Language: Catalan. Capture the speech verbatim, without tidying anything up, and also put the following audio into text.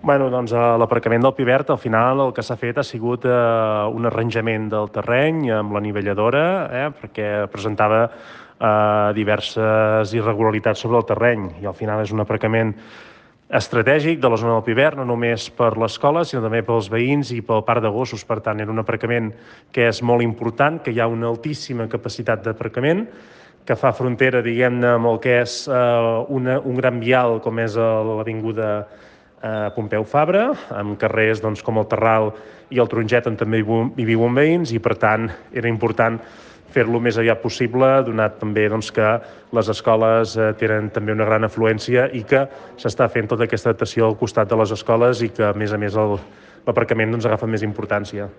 Bueno, doncs a l'aparcament del Pivert al final el que s'ha fet ha sigut eh, un arranjament del terreny amb la nivelladora, eh, perquè presentava eh, diverses irregularitats sobre el terreny i al final és un aparcament estratègic de la zona del Pivert, no només per l'escola, sinó també pels veïns i pel parc de gossos. Per tant, era un aparcament que és molt important, que hi ha una altíssima capacitat d'aparcament, que fa frontera, diguem-ne, amb el que és eh, una, un gran vial com és l'avinguda a Pompeu Fabra, amb carrers doncs, com el Terral i el Taronget, on també hi viuen veïns, i per tant era important fer-lo més aviat possible, donat també doncs, que les escoles eh, tenen també una gran afluència i que s'està fent tota aquesta adaptació al costat de les escoles i que, a més a més, l'aparcament doncs, agafa més importància.